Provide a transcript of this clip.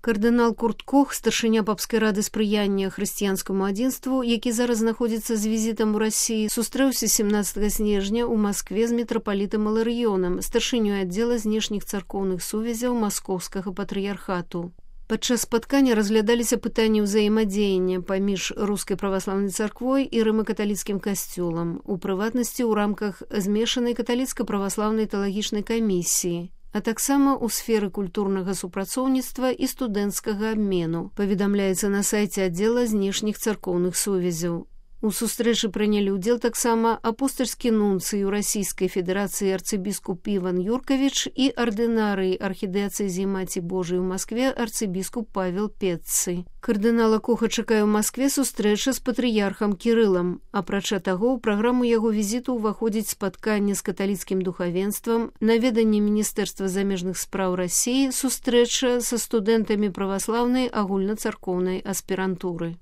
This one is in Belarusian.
Кардынал Курт Кох, старшыня папскай рады спрыяння хрысціянскаму адзінству, які зараз знаходзіцца з візітам у Расіі, сустрэўся 17 снежня ў Маскве з мітрапалітам Іларыёнам, старшынёй аддзела знешніх царкоўных сувязяў Маскоўскага патрыярхату. Падчас спаткання разглядаліся пытанні ўзаемадзеяння паміж рускай праваслаўнай царквой і рыма-каталіцкім касцёлам, у прыватнасці ў рамках змешанай каталіцка-праваслаўнай тэалагічнай камісіі, а таксама ў сферы культурнага супрацоўніцтва і студэнцкага абмену, паведамляецца на сайце аддзела знешніх царкоўных сувязяў. У сустрэчы прынялі ўдзел таксама апостальскі нунцый у Расійскай Федэрацыі арцыбіскуп Іван Юркавіч і ардынарый архідыяцэзіі Маці Божай у Маскве арцыбіскуп Павел Петцы. Кардынала Коха чакае ў Маскве сустрэча з патрыярхам Кірылам. Апрача таго, ў праграму яго візіту ўваходзіць спатканне з каталіцкім духавенствам, наведанне Міністэрства замежных спраў Расіі, сустрэча са студэнтамі праваслаўнай агульнацаркоўнай аспірантуры.